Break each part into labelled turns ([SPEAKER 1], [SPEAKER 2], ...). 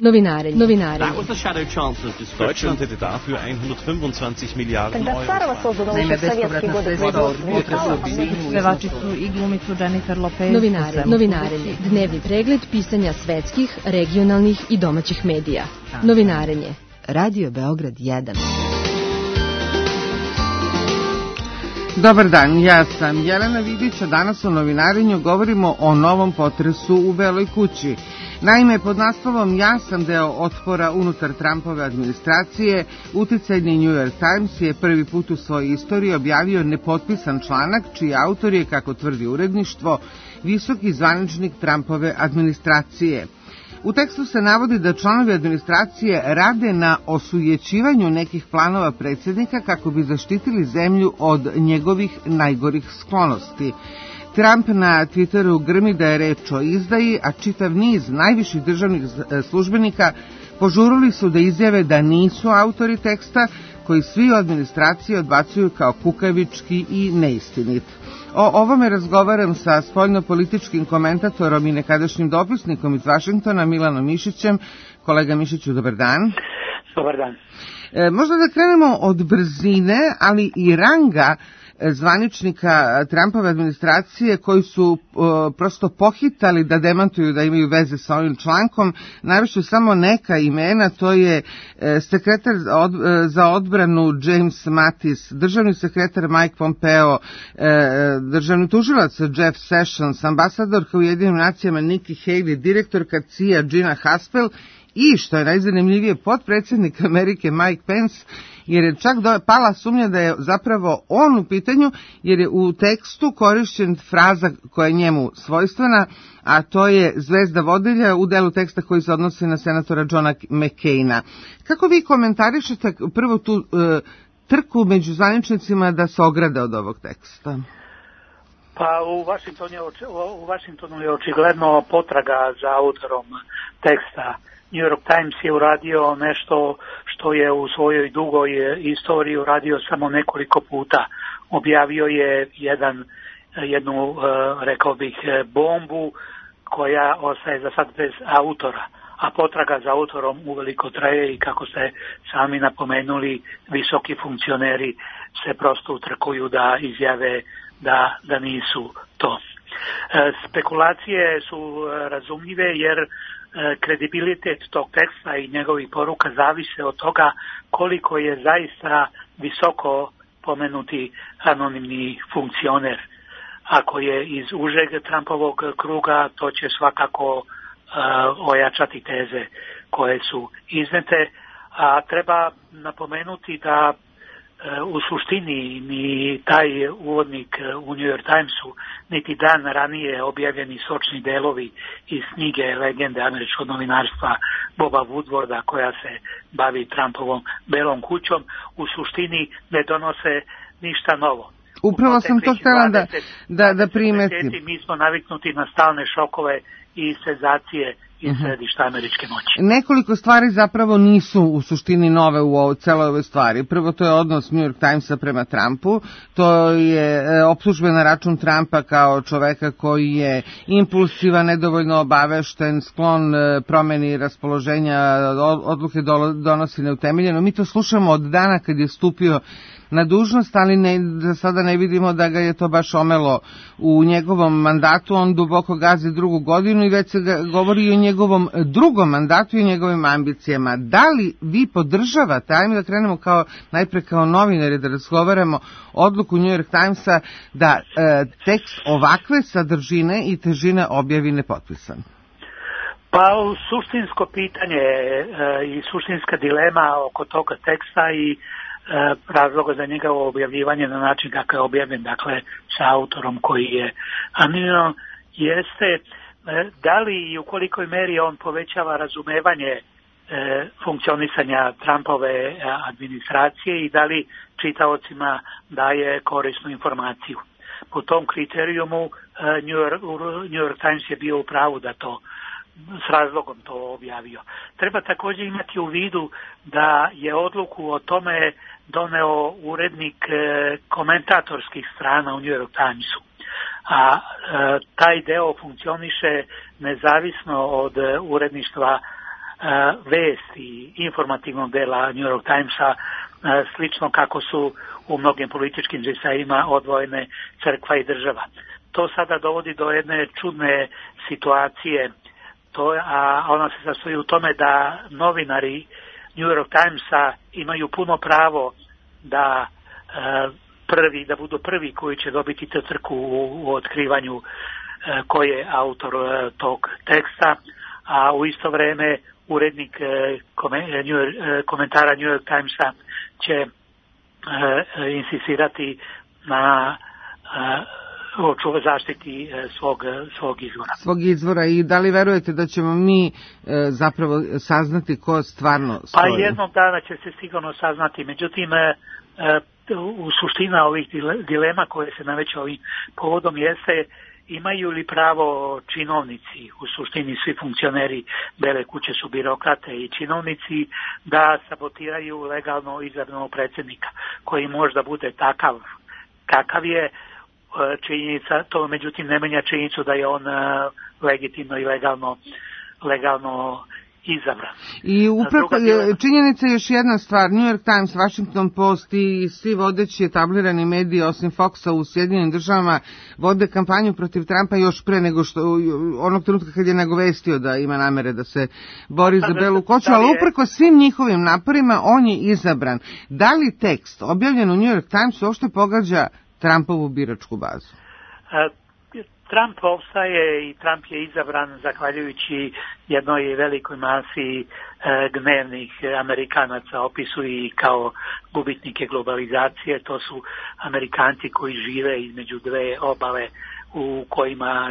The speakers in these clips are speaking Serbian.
[SPEAKER 1] Novinare.
[SPEAKER 2] That was the Shadow Chancellor's description.
[SPEAKER 3] Deutschland hätte dafür 125 Milijarden Euro.
[SPEAKER 4] Naime, bespovratna sredstva od pevači su i glumicu Jennifer Lopez.
[SPEAKER 1] Novinarenje. Dnevni pregled pisanja svetskih, regionalnih i domaćih medija. Novinarenje. Radio Beograd 1.
[SPEAKER 5] Dobar dan, ja sam Jelena Vidić, a danas u novinarenju govorimo o novom potresu u Beloj kući. Naime, pod naslovom "Ja sam deo otpora unutar Trumpove administracije", uticajni New York Times je prvi put u svojoj istoriji objavio nepotpisan članak čiji autor je, kako tvrdi uredništvo, visoki zvaničnik Trumpove administracije. U tekstu se navodi da članovi administracije rade na osujećivanju nekih planova predsjednika kako bi zaštitili zemlju od njegovih najgorih sklonosti. Trump na Twitteru grmi da je reč o izdaji, a čitav niz najviših državnih službenika požurili su da izjave da nisu autori teksta, koji svi u administraciji odbacuju kao kukavički i neistinit. O ovome razgovaram sa spoljnopolitičkim komentatorom i nekadašnjim dopisnikom iz Vašingtona, Milanom Mišićem. Kolega Mišiću, dobar dan.
[SPEAKER 6] Dobar dan.
[SPEAKER 5] Možda da krenemo od brzine, ali i ranga zvaničnika Trumpove administracije koji su prosto pohitali da demantuju da imaju veze sa ovim člankom. Navešću samo neka imena, to je sekretar za odbranu James Mattis, državni sekretar Mike Pompeo, državni tužilac Jeff Sessions, ambasadorka u Ujedinjenim nacijama Nikki Haley, direktorka CIA Gina Haspel i, što je najzanimljivije, potpredsjednik Amerike Mike Pence, jer je čak pala sumnja da je zapravo on u pitanju, jer je u tekstu korišćen fraza koja je njemu svojstvena, a to je zvezda vodilja u delu teksta koji se odnosi na senatora Johna McCaina. Kako vi komentarišete prvo tu trku među zvaničnicima da se ograde od ovog teksta?
[SPEAKER 6] Pa u Washingtonu je očigledno potraga za autorom teksta. New York Times je uradio nešto što je u svojoj dugoj istoriji uradio samo nekoliko puta. Objavio je jednu, rekao bih, bombu koja ostaje za sad bez autora, a potraga za autorom uveliko traje i, kako ste sami napomenuli, visoki funkcioneri se prosto utrkuju da izjave da nisu to. Spekulacije su razumljive jer kredibilitet tog teksta i njegovih poruka zavise od toga koliko je zaista visoko pomenuti anonimni funkcioner. Ako je iz užeg Trumpovog kruga, to će svakako ojačati teze koje su iznete, a treba napomenuti da u suštini ni taj uvodnik u New York Timesu, niti dan ranije objavljeni sočni delovi iz knjige legende američkog novinarstva Boba Woodwarda koja se bavi Trumpovom Belom kućom, u suštini ne donose ništa novo.
[SPEAKER 5] Upravo sam to htjela da primetim.
[SPEAKER 6] Mi smo naviknuti na stalne šokove i senzacije iz središta američke moći.
[SPEAKER 5] Nekoliko stvari zapravo nisu u suštini nove u celoj ovoj stvari. Prvo, to je odnos New York Timesa prema Trumpu. To je optužbe na račun Trumpa kao čoveka koji je impulsivan, nedovoljno obavešten, sklon promeni raspoloženja, odluke donosi neutemeljeno. Mi to slušamo od dana kad je stupio na dužnost, ali za sada ne vidimo da ga je to baš omelo u njegovom mandatu. On duboko gazi drugu godinu i već se govori i o njegovom drugom mandatu i o njegovim ambicijama. Da li vi podržavate, ajme da krenemo najpre kao novinari da razgovaramo, odluku New York Timesa da tekst ovakve sadržine i težine objavi nepotpisan?
[SPEAKER 6] Pa suštinsko pitanje i suštinska dilema oko toga teksta i razloga za njegovo objavljivanje na način kako je objavljen, dakle sa autorom koji je anoniman, jeste da li i u kolikoj meri on povećava razumevanje funkcionisanja Trumpove administracije i da li čitaocima daje korisnu informaciju. Po tom kriterijumu New York Times je bio u pravu da to s razlogom to objavio. Treba također imati u vidu da je odluku o tome doneo urednik komentatorskih strana u New York Timesu. A taj deo funkcioniše nezavisno od uredništva vesti informativnog dela New York Timesa, slično kako su u mnogim političkim džesajima odvojene crkva i država. To sada dovodi do jedne čudne situacije, a ona se sastoji u tome da novinari New York Timesa imaju puno pravo da budu prvi koji će dobiti tu trku u otkrivanju ko je autor tog teksta, a u isto vreme urednik komentara New York Timesa će insistirati na zaštiti svog izvora.
[SPEAKER 5] Svog izvora. I da li verujete da ćemo mi zapravo saznati ko stvarno stoji?
[SPEAKER 6] Pa jednog dana će se sigurno saznati, međutim u suština ovih dilema koje se nameću ovim povodom jeste imaju li pravo činovnici, u suštini svi funkcioneri Bele kuće su birokrate i činovnici, da sabotiraju legalno izabranog predsjednika, koji možda bude takav kakav je. Činjenica, to međutim ne menja činjenicu da je on legitimno i legalno izabran.
[SPEAKER 5] I upravo činjenica je još jedna stvar, New York Times, Washington Post i svi vodeći etablirani mediji osim Foxa u Sjedinjenim državama vode kampanju protiv Trumpa još pre nego što onog trenutka kad je nagovestio da ima namere da se bori za Belu kuću, ali upreko svim njihovim naporima on je izabran. Da li tekst objavljen u New York Times uopšte pogađa Trumpovu biračku bazu?
[SPEAKER 6] Trump opstaje i Trump je izabran zahvaljujući jednoj velikoj masi gnevnih Amerikanaca, opisuju i kao gubitnike globalizacije. To su Amerikanci koji žive između dve obale u kojima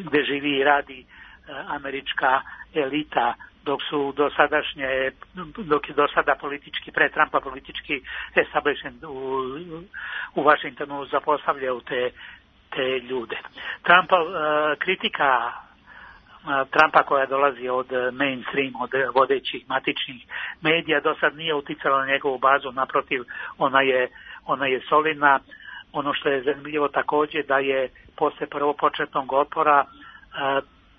[SPEAKER 6] gde živi i radi američka elita, dok je do sada politički, pre Trumpa politički establishment u Washingtonu zapostavljao te ljude. Kritika Trumpa koja dolazi od mainstream, od vodećih matičnih medija, do sad nije uticala na njegovu bazu, naprotiv, ona je solidna. Ono što je zanimljivo također da je posle prvopočetnog otpora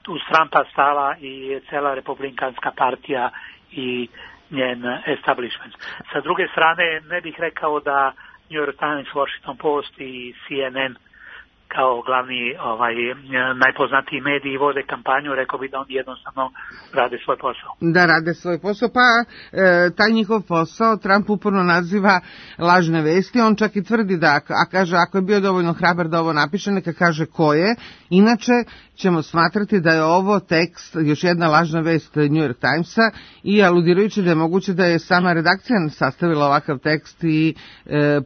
[SPEAKER 6] uz Trumpa stala i cela republikanska partija i njen establishment. Sa druge strane, ne bih rekao da New York Times, Washington Post i CNN kao glavni najpoznatiji mediji vode kampanju, rekao bi da oni jednostavno rade svoj posao.
[SPEAKER 5] Da rade svoj posao, pa taj njihov posao Trump uporno naziva lažne vesti, on čak i tvrdi da, kaže, ako je bio dovoljno hrabar da ovo napiše, neka kaže ko je, inače ćemo smatrati da je ovo tekst, još jedna lažna vest New York Timesa, i aludirajući da je moguće da je sama redakcija sastavila ovakav tekst i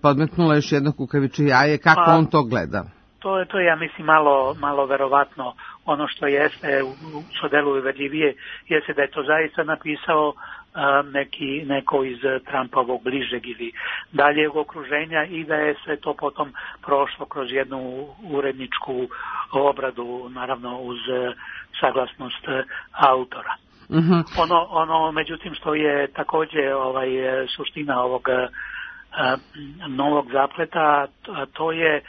[SPEAKER 5] podmetnula još jedno kukavičje jaje, kako on to gleda.
[SPEAKER 6] To je, ja mislim, malo verovatno. Ono što jeste, što deluje uverljivije, jeste da je to zaista napisao neko iz Trumpovog bližeg ili daljeg okruženja i da je sve to potom prošlo kroz jednu uredničku obradu, naravno uz saglasnost autora.
[SPEAKER 5] Mm-hmm.
[SPEAKER 6] Ono međutim što je također suština ovog novog zapleta, to je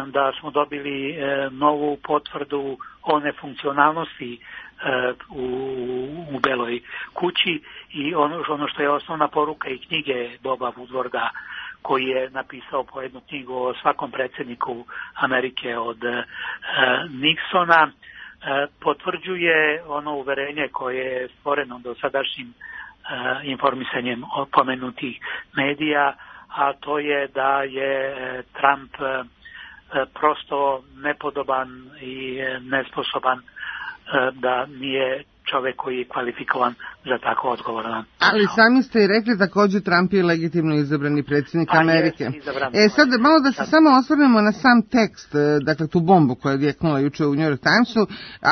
[SPEAKER 6] da smo dobili novu potvrdu o nefunkcionalnosti u Beloj kući i ono što je osnovna poruka i knjige Boba Woodwarda, koji je napisao po jednu knjigu o svakom predsjedniku Amerike od Nixona, potvrđuje ono uverenje koje je stvoreno do sadašnjim informisanjem pomenutih medija, a to je da je Trump prosto nepodoban i nesposoban, da nije čovjek koji je kvalifikovan za tako odgovoran.
[SPEAKER 5] Ali sami ste i rekli također Trump je legitimno izabrani predsjednik Amerike. Sad malo da se samo osvrnemo na sam tekst, dakle tu bombu koja je odjeknula juče u New York Timesu.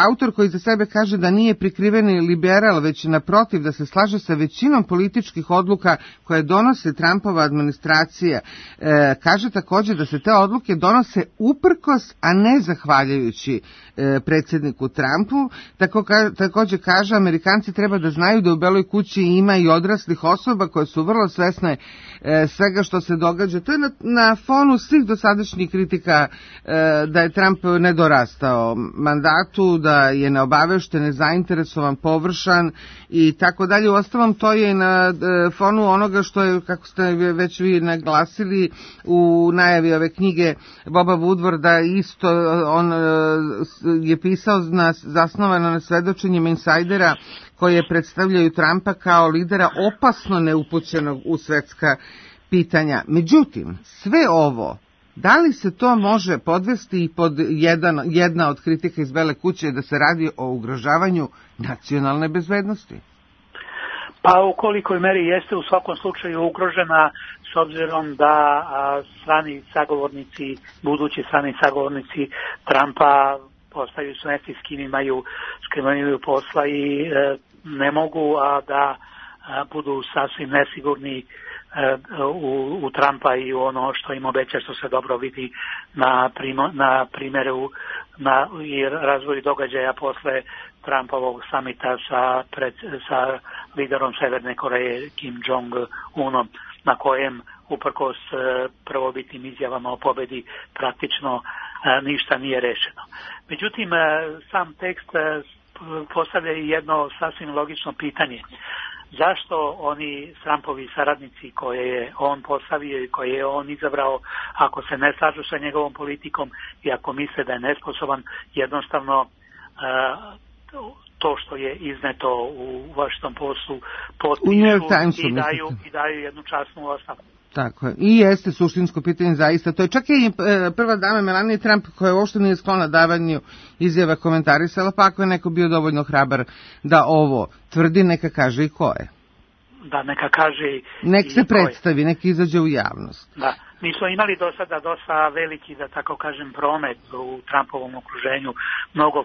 [SPEAKER 5] Autor koji za sebe kaže da nije prikriveni liberal, već naprotiv da se slaže sa većinom političkih odluka koje donose Trumpova administracija. Kaže također da se te odluke donose uprkos, a ne zahvaljujući predsjedniku Trumpu. Također kaže Amerikanci treba da znaju da u Beloj kući ima i odraslih osoba koje su vrlo svesne svega što se događa. To je na fonu svih dosadašnjih kritika da je Trump nedorastao mandatu, da je neobavešten, nezainteresovan, površan i tako dalje. Uostalom, to je na fonu onoga što je, kako ste već vi naglasili u najavi ove knjige Boba Woodwarda, isto on je pisao zasnovano na svedočenjima insajdera koje predstavljaju Trumpa kao lidera opasno neupućenog u svetska pitanja. Međutim, sve ovo, da li se to može podvesti i pod jedna od kritika iz Bele kuće da se radi o ugrožavanju nacionalne bezbednosti?
[SPEAKER 6] Pa u kolikoj meri jeste u svakom slučaju ugrožena, s obzirom da strani sagovornici, budući strani sagovornici Trumpa postaju svesti s kim imaju posla i ne mogu da budu sasvim nesigurni u Trumpa i u ono što im obeća, što se dobro vidi na primjeru i razvoju događaja posle Trumpovog samita sa liderom Severne Koreje Kim Jong-unom, na kojem uprkos prvobitnim izjavama o pobedi praktično ništa nije rešeno. Međutim, sam tekst postavlja i jedno sasvim logično pitanje. Zašto oni Trumpovi saradnici koje je on postavio i koje je on izabrao, ako se ne slažu sa njegovom politikom i ako misle da je nesposoban, jednostavno to što je izneto u Washington Postu potpišu i daju jednu časnu ostavku.
[SPEAKER 5] Tako je. I jeste suštinsko pitanje zaista. To je čak i prva dama Melania Trump, koja uopšte nije sklona davanju izjava, komentarisala, pa ako je neko bio dovoljno hrabar da ovo tvrdi, neka kaže i ko je.
[SPEAKER 6] Da, neka kaže
[SPEAKER 5] nek se predstavi, neka izađe u javnost.
[SPEAKER 6] Da. Mi smo imali do sada dosta veliki, da tako kažem, promet u Trumpovom okruženju. Mnogo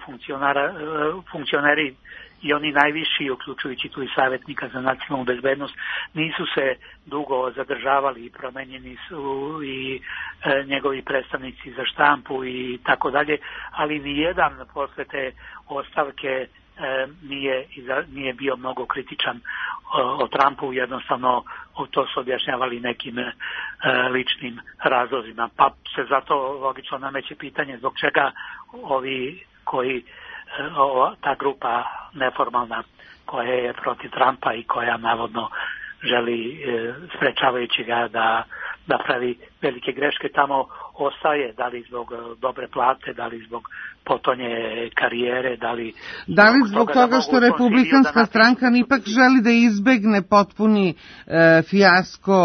[SPEAKER 6] funkcioneri i oni najviši, uključujući tu i savjetnika za nacionalnu bezbednost, nisu se dugo zadržavali i promenjeni su i njegovi predstavnici za štampu i tako dalje, ali nijedan posle te ostavke nije bio mnogo kritičan o Trumpu, jednostavno to su objašnjavali nekim ličnim razlozima. Pa se zato logično nameće pitanje zbog čega ovi koji ta grupa neformalna koja je protiv Trumpa i koja navodno želi sprečavajući ga da pravi velike greške tamo ostaje, da li zbog dobre plate, da li zbog potonje karijere, da li
[SPEAKER 5] zbog toga što republikanska stranka ipak želi da izbegne potpuni fijasko,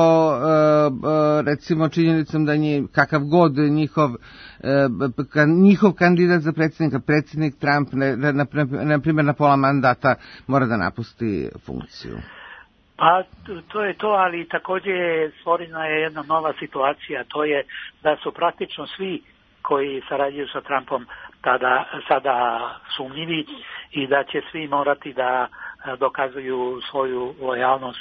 [SPEAKER 5] recimo činjenicom da je kakav god njihov kandidat za predsjednik Trump, na primjer na pola mandata, mora da napusti funkciju.
[SPEAKER 6] Pa to je to, ali također stvorena je jedna nova situacija, to je da su praktično svi koji sarađuju sa Trumpom sada sumnjivi i da će svi morati da dokazuju svoju lojalnost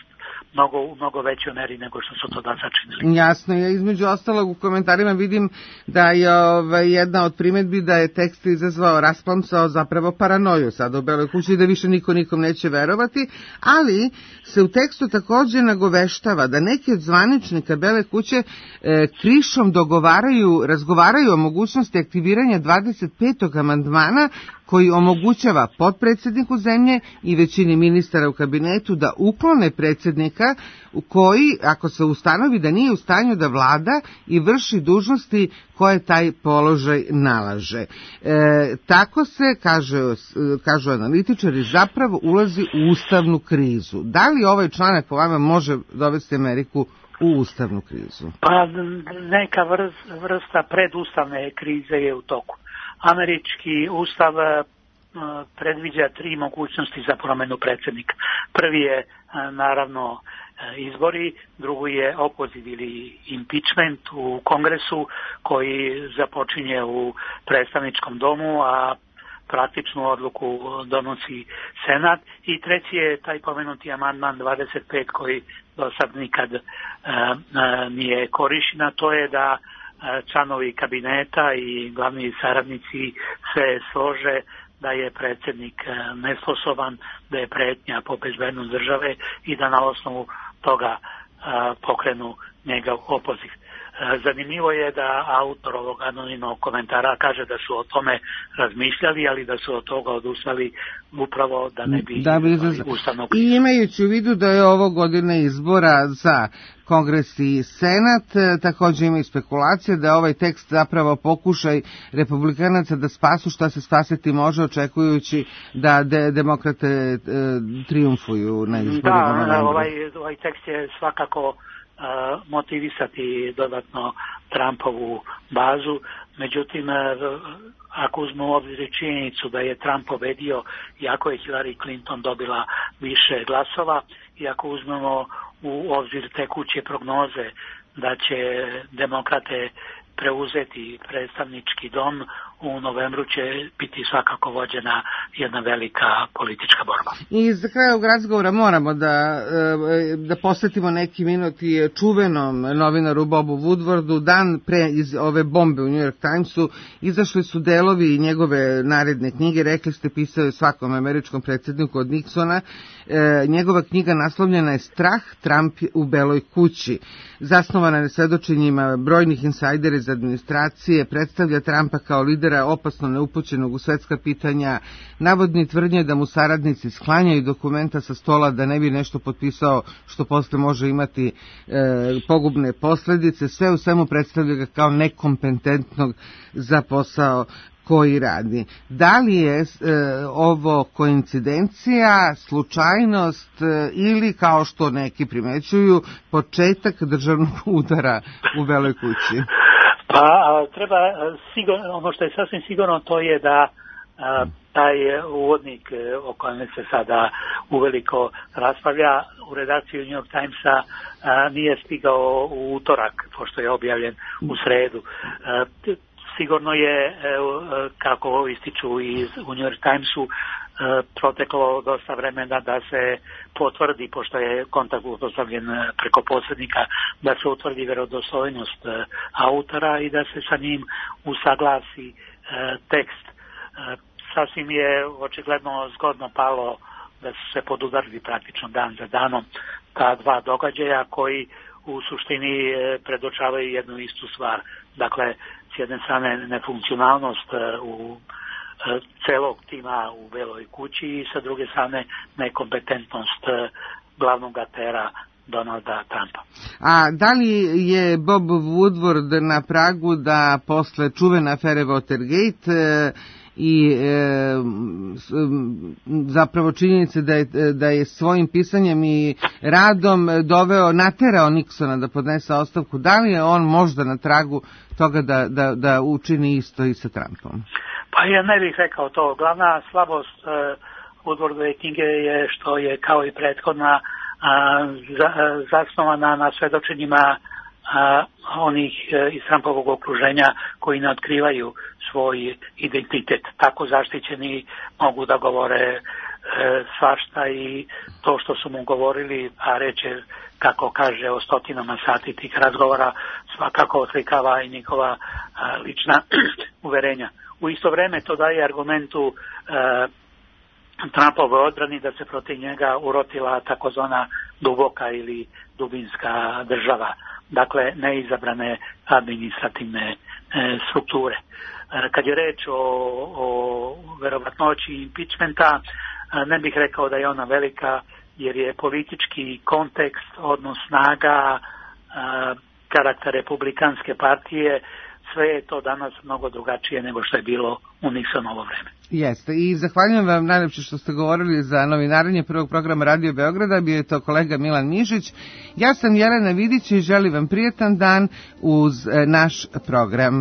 [SPEAKER 6] mnogo većoj meri nego što su to da sačinili.
[SPEAKER 5] Jasno, ja između ostalog u komentarima vidim da je jedna od primjedbi da je tekst izazvao, rasplamsao zapravo paranoju sada u Beloj kući i da više niko nikom neće verovati, ali se u tekstu također nagoveštava da neki od zvaničnika Bele kuće krišom razgovaraju o mogućnosti aktiviranja 25. amandmana koji omogućava potpredsjedniku zemlje i većini ministara u kabinetu da uklone predsjednika koji, ako se ustanovi da nije u stanju da vlada i vrši dužnosti koje taj položaj nalaže. Tako se, kažu analitičari, zapravo ulazi u ustavnu krizu. Da li ovaj članak po vama može dovesti Ameriku u ustavnu krizu?
[SPEAKER 6] Pa neka vrsta predustavne krize je u toku. Američki ustav predviđa 3 mogućnosti za promjenu predsjednika. Prvi je naravno izbori, drugi je opoziv ili impeachment u Kongresu koji započinje u predstavničkom domu, a praktičnu odluku donosi Senat, i treći je taj pomenuti amandman 25 koji do sad nikad nije korišten, to je da članovi kabineta i glavni saradnici se slože da je predsjednik nesposoban, da je pretnja po bezbednost države i da na osnovu toga pokrenu njega opoziv. Zanimljivo je da autor ovog anonimnog komentara kaže da su o tome razmišljali, ali da su od toga odustali upravo da ne bi ustavnog.
[SPEAKER 5] I imajući u vidu da je ovo godine izbora za Kongres i Senat, također ima i spekulacije da je ovaj tekst zapravo pokušaj republikanaca da spasu šta se spasiti može, očekujući da demokrate triumfuju na izborima.
[SPEAKER 6] Da, ovaj tekst je svakako motivisati dodatno Trumpovu bazu, međutim ako uzmemo u obzir činjenicu da je Trump pobedio iako je Hillary Clinton dobila više glasova i ako uzmemo u obzir tekuće prognoze da će demokrate preuzeti predstavnički dom, u novembru će biti svakako vođena jedna velika politička borba.
[SPEAKER 5] I za kraj ovog razgovora moramo da posvetimo neki minut i čuvenom novinaru Bobu Woodwardu. Dan pre iz ove bombe u New York Timesu izašli su delovi njegove naredne knjige. Rekli ste, pisao je svakom američkom predsjedniku od Nixona. Njegova knjiga naslovljena je Strah, Trump u Beloj kući. Zasnovana je svedočenjima brojnih insajdera iz administracije, predstavlja Trumpa kao lidera opasno neupućenog u svetska pitanja, navodni tvrdnje da mu saradnici sklanjaju dokumenta sa stola da ne bi nešto potpisao što posle može imati pogubne posljedice. Sve u svemu predstavlja ga kao nekompetentnog za posao koji radi. Da li je ovo koincidencija, slučajnost ili, kao što neki primećuju, početak državnog udara u Beloj kući?
[SPEAKER 6] Pa treba ono što je sasvim sigurno, to je da taj uvodnik o kojem se sada uveliko raspravlja u redakciju New York Timesa nije stigao u utorak, pošto je objavljen u sredu. Sigurno je, kako ističu u New York Timesu, proteklo dosta vremena da se potvrdi, pošto je kontakt uspostavljen preko posrednika, da se utvrdi vjerodostojnost autora i da se sa njim usaglasi tekst. Sasvim je očigledno zgodno palo da su se podudarili praktično dan za danom ta dva događaja koji u suštini predočavaju jednu istu stvar. Dakle, s jedne strane nefunkcionalnost u celog tima u Beloj kući i sa druge strane nekompetentnost glavnog atera Donalda Trumpa.
[SPEAKER 5] A da li je Bob Woodward na pragu da posle čuvene afere Watergate i zapravo činjenice da je svojim pisanjem i radom naterao Nixona da podnese ostavku, da li je on možda na tragu toga da učini isto i sa Trumpom?
[SPEAKER 6] Pa ja ne bih rekao to. Glavna slabost Woodwardove knjige je što je kao i prethodna zasnovana na svedočenjima onih iz Trumpovog okruženja koji ne otkrivaju svoj identitet. Tako zaštićeni mogu da govore svašta i to što su mu govorili, a reče, kako kaže, o stotinama sati tih razgovora, svakako oslikava i njihova lična uverenja. U isto vreme to daje argumentu Trumpove odbrani da se protiv njega urotila takozvana duboka ili dubinska država, dakle neizabrane administrativne strukture. Kad je reč o verovatnoći impeachmenta, ne bih rekao da je ona velika, jer je politički kontekst, odnos snaga, karakter republikanske partije, sve je to danas mnogo drugačije nego što je bilo u Nixonovo vreme.
[SPEAKER 5] Jeste, i zahvaljujem vam najlepše što ste govorili za novinarenje prvog programa Radio Beograda. Bio je to kolega Milan Mišić. Ja sam Jelena Vidić i želim vam prijetan dan uz naš program.